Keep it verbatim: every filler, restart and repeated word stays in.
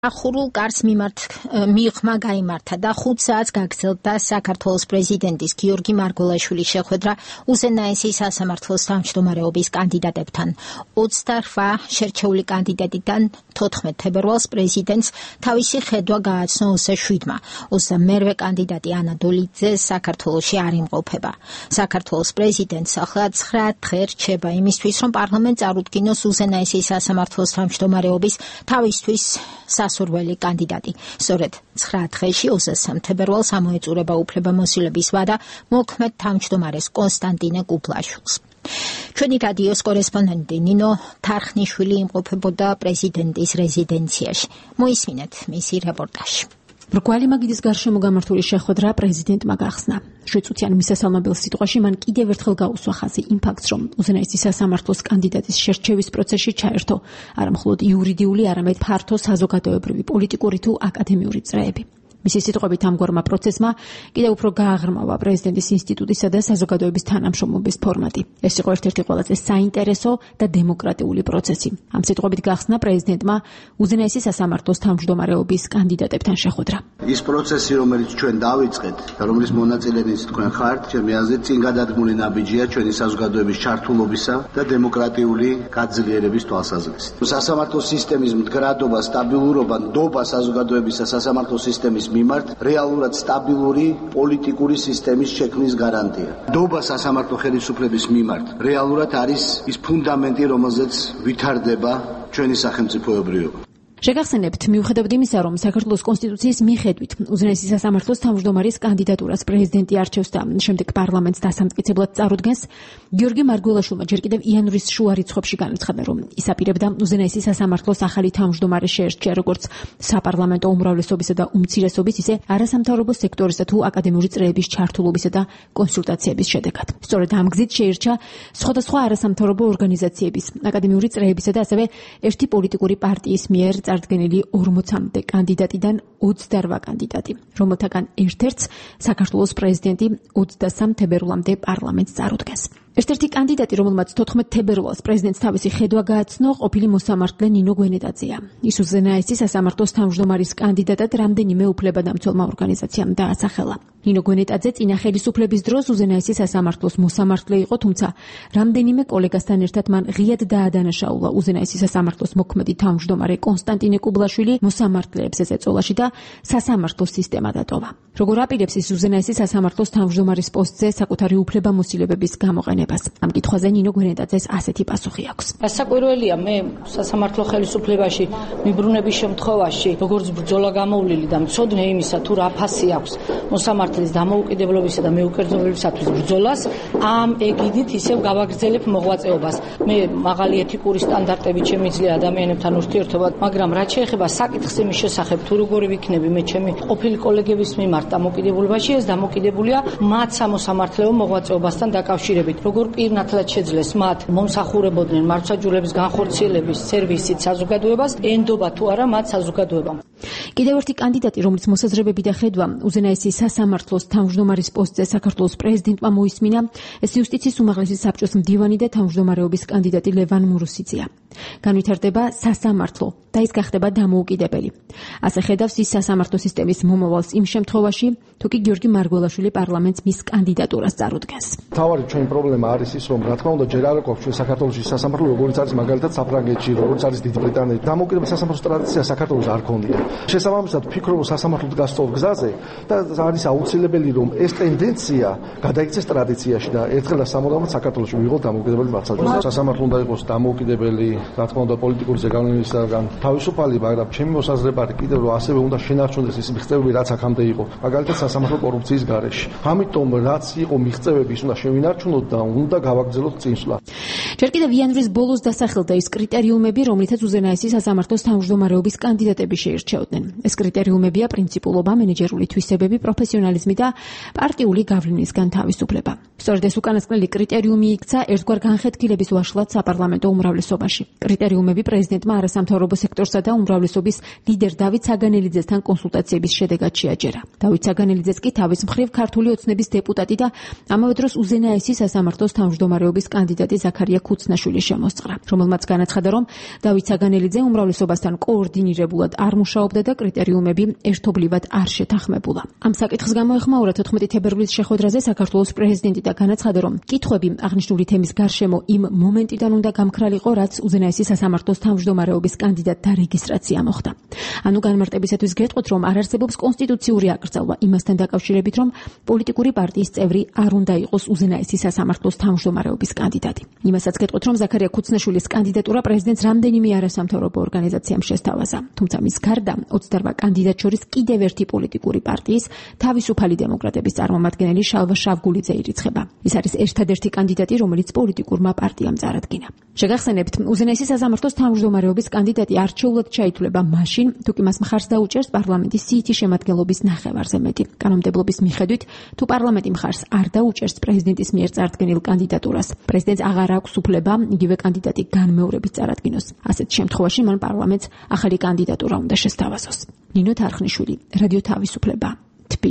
ახურულ კარს მიმართ მიღმა გაიმართა და ხუთ საათს გაგრძელდა საქართველოს პრეზიდენტის გიორგი მარგველაშვილის შეხვედრა უზენაესი სასამართლოს თავმჯდომარეობის კანდიდატებთან. ოცდაოთხ შერჩეული კანდიდატიდან თოთხმეტ თებერვალს პრეზიდენტს თავისი ხედვა გააცნო ოცდაშვიდმა. ოცდამერვე კანდიდატი ანა დოლიძე საქართველოში არ იმყოფება. საქართველოს პრეზიდენტს ახლა ცხრა დღე რჩება იმისთვის, რომ პარლამენტს წარუდგინოს უზენაესი სასამართლოს თავმჯდომარეობის თავისთვის სასურველი კანდიდატი. სწორედ ცხრა დღეში ოცდასამ თებერვალს ამოეწურება უფლებამოსილების ვადა მოქმედ თავმჯდომარეს კონსტანტინე კუბლაშვილს. ჩვენი რადიოს კორესპონდენტი ნინო თარხნიშვილი იმყოფებოდა პრეზიდენტის რეზიდენციაში. მოისმინეთ მისი რეპორტაჟი. რგვალი მაგიდის გარშემო გამართული შეხვედრა პრეზიდენტმა გახსნა. შვიდწუთიან მისასალმებელ სიტყვაში მან კიდევ ერთხელ გაუსვა ხაზი იმ ფაქტს, რომ უზენაესი სასამართლოს კანდიდატის შერჩევის პროცესში ჩაერთო არა მხოლოდ იურიდიული, არამედ ფართო საზოგადოებრივი, პოლიტიკური თუ აკადემიური წრეები. მისი სიტყვებით ამგვარმა პროცესმა კიდევ უფრო გააღრმავა პრეზიდენტის ინსტიტუტისა და საზოგადოების თანამშრომლობის ფორმატი. ეს იყო ერთ-ერთი ყველაზე საინტერესო და დემოკრატიული პროცესი. ამ სიტყვებით გახსნა პრეზიდენტმა უზენაესი სასამართლოს თავმჯდომარეობის კანდიდატებთან შეხვედრა. ის პროცესი, რომელიც ჩვენ დავიწყეთ და რომლის მონაწილეც თქვენ ხართ, ჩემი აზრით, წინ გადადგმული ნაბიჯია ჩვენი საზოგადოების ჩართულობისა და დემოკრატიული გაძლიერების თვალსაზრისით. სასამართლო სისტემის მდგრადობა, სტაბილურობა, ნდობა საზოგადოებისა სასამართლო სისტემის მიმართ რეალურად სტაბილური პოლიტიკური სისტემის შექმნის გარანტია. ნდობა სასამართლო ხელისუფლების მიმართ რეალურად არის ის ფუნდამენტი, რომელზეც ვითარდება ჩვენი სახელმწიფოებრიობა. შეგახსენებთ, მიუხედავად იმისა, რომ საქართველოს კონსტიტუციის მიხედვით უზენაესი სასამართლოს თავმჯდომარის კანდიდატურას პრეზიდენტი არჩევს და შემდეგ პარლამენტს დასამტკიცებლად წარუდგენს, გიორგი მარგველაშვილმა ჯერ კიდევ იანვრის შუა რიცხვებში განაცხადა, რომ ის აპირებდა უზენაესი სასამართლოს ახალი თავმჯდომარე შეერჩია როგორც საპარლამენტო უმრავლესობისა და უმცირესობის, ისე არასამთავრობო სექტორისა თუ აკადემიური წრეების ჩართულობისა და კონსულტაციების შედეგად. სწორედ ამ გზით შეირჩა სხვადასხვა არასამთავრობო ორგანიზაციების, აკადემიური წრეებისა და ასევე ერთი პოლიტიკური პარტიის მიერ წარდგენილი ორმოცამდე კანდიდატიდან ოცდაოთხ კანდიდატი, რომელთაგან ერთ-ერთს საქართველოს პრეზიდენტი ოცდასამ თებერვლამდე პარლამენტს წარუდგენს. ერთ-ერთი კანდიდატი, რომელმაც თოთხმეტ თებერვალს პრეზიდენტს თავისი ხედვა გააცნო, ყოფილი მოსამართლე ნინო გვენეტაძეა. ის უზენაესი სასამართლოს თავმჯდომარის კანდიდატად რამდენიმე უფლებადამცველმა ორგანიზაციამ დაასახელა. ნინო გვენეტაძე წინა ხელისუფლების დროს უზენაესი სასამართლოს მოსამართლე იყო, თუმცა რამდენიმე კოლეგასთან ერთად მან ღიად დაადანაშაულა უზენაესი სასამართლოს მოქმედი თავმჯდომარე კონსტანტინე კუბლაშვილი მოსამართლეებს ეწოლაში და სასამართლო სისტემა დატოვა. როგორ აპირებს ის უზენაესი სასამართლოს თავმჯდომარის პოსტზე საკუთარი უფლებამოსილებების გამოყენებას? ამ კითხვაზე ნინო გვენეტაძეს ასეთი პასუხი აქვს. სასაკვირველია, მე სასამართლო ხელისუფლებაში მიბრუნების შემთხვევაში, როგორც ბრძოლა გამოვლილი და მცოდნე იმისა, თუ რა ფასი აქვს მოსამართლის დამოუკიდებლობისა და მეუკერძობლებისათვის ბრძოლას, ამ ეგიდით ისევ გავაგრძელებ მოღვაწეობას. მე მაღალი ეთიკური სტანდარტები შემიძლია ადამიანებთან ურთიერთობა, მაგრამ რაც შეეხება საკითხს იმის შესახებ, თუ როგორი ვიქნები მე ჩემი ყოფილი კოლეგების მიმართ დამოკიდებულებაში, ეს დამოკიდებულია მათ სამოსამართლეო მოღვაწეობასთან დაკავშირებით. როგორ პირნათლად შეძლეს მათ მომსახურებოდნენ მართლმსაჯულების განხორციელების სერვისით საზოგადოებას, ენდობა თუ არა მათ საზოგადოებამ. კიდევ ერთი კანდიდატი, რომლის მოსაზრებები და ხედვა უზენაესი სასამართლოს თავმჯდომარის პოსტზე საქართველოს პრეზიდენტმა მოისმინა, ეს იუსტიციის უმაღლესი საბჭოს მდივანი და თავმჯდომარეობის კანდიდატი ლევან მურუსიძეა. განვითარდება სასამართლო და ის გახდება დამოუკიდებელი. ასე ხედავს ის სასამართლო სისტემის მომავალს იმ შემთხვევაში, თუ კი გიორგი მარგველაშვილი პარლამენტს მის კანდიდატურას წარუდგენს. თავარი ჩვენი პრობლემა არის ის, რომ რა თქმა უნდა ჯერ არ აქვს ჩვენ საქართველოში სასამართლო, როგორც არის მაგალითად საფრანგეთში, როგორც არის დიდი ბრიტანეთი. დამოუკიდებელი სასამართლოს ტრადიცია საქართველოს არ ქონია. შესაბამისად ვფიქრობ, რომ სასამართლოდ გასწორ გზაზე და არის აუცილებელი, რომ ეს ტენდენცია გადაიქცეს ტრადიციაში და ერთხელ და სამუდამოდ საქართველოში ვიღოთ დამოუკიდებელი მართლმსაჯულება. სასამართლო უნდა იყოს დამოუკიდებელი, რა თქმა უნდა პოლიტიკური ზეგავლენისაგან თავისუფალი, მაგრამ ჩემი მოსაზრება არის კიდევ რომ ასევე უნდა შენარჩუნდეს ის მიღწევები, რაც აქამდე იყო. მაგალითად სასამართლო კორუფციის გარეშე. ამიტომ რაც იყო მიღწევები, ის უნდა შევინარჩუნოთ და უნდა გავაგრძელოთ წინსვლა. ჯერ კიდევ იანვრის ბოლოს დასახელდა ის კრიტერიუმები, რომლითაც უზენაესი სასამართლოს თავმჯდომარეობის კანდიდატები შეირჩეოდნენ. ეს კრიტერიუმებია პრინციპულობა, მენეჯერული თვისებები, პროფესიონალიზმი და პარტიული გავლენისგან თავისუფლება. სწორედ ეს უკანასკნელი კრიტერიუმი იქცა ერთგვარ განხეთქილების ვაშლად საპარლამენტო უმრავლესობაში. კრიტერიუმები პრეზიდენტმა არასამთავრობო სექტორსა და უმრავლესობის ლიდერ დავით საგანელიძესთან კონსულტაციების შედეგად შეაჯერა. დავით საგანელიძეს კი თავის მხრივ ქართული ოცნების დეპუტატი და ამავე დროს უზენაესი სასამართლოს თავმჯდომარეობის კანდიდატი ზაქარია ქუცნაშვილი შემოსწრა, რომელმაც განაცხადა, რომ დავით საგანელიძე უმრავლესობასთან კოორდინირებულად არ მუშაობს მუშაობდა და კრიტერიუმები ერთობლივად არ შეთანხმებულა. ამ საკითხს გამოეხმაურა თოთხმეტი თებერვლის შეხვედრაზე საქართველოს პრეზიდენტი და განაცხადა, რომ კითხვები აღნიშნული თემის გარშემო იმ მომენტიდან უნდა გამქრალიყო, რაც უზენაესი სასამართლოს თავმჯდომარეობის კანდიდატთა რეგისტრაცია მოხდა. ანუ განმარტებისათვის გეტყვით, რომ არ არსებობს კონსტიტუციური აკრძალვა იმასთან დაკავშირებით, რომ პოლიტიკური პარტიის წევრი არ უნდა იყოს უზენაესი სასამართლოს თავმჯდომარეობის კანდიდატი. იმასაც გეტყვით, რომ ზაქარია ქუცნაშვილის კანდიდატურა პრეზიდენტს რამდენიმე არასამთავრობო ორგანიზაციამ შესთავაზა. თუმცა მის გარდა ოცდაორ კანდიდატ შორის კიდევ ერთი პოლიტიკური პარტიის თავისუფალი დემოკრატების წარმომადგენელი შალვა შავგულიძე ირიცხება. ის არის ერთადერთი კანდიდატი, რომელიც პოლიტიკურმა პარტიამ წარადგინა. შეგახსენებთ, უზენაესი სასამართლოს თავმჯდომარეობის კანდიდატი არჩეულად ჩაითვლება მაშინ, თუ კი მას მხარს დაუჭერს პარლამენტის სიითი შემადგენლობის ნახევარზე მეტი. კანონმდებლობის მიხედვით, თუ პარლამენტი მხარს არ დაუჭერს პრეზიდენტის მიერ წარდგენილ კანდიდატურას, პრეზიდენტს აღარ აქვს უფლება იგივე კანდიდატი განმეორებით წარადგინოს. ასეთ შემთხვევაში მან პარლამენტს ახალი კანდიდატურა უნდა შესთავაზოს. ნინო თარხნიშვილი, რადიო თავისუფლება.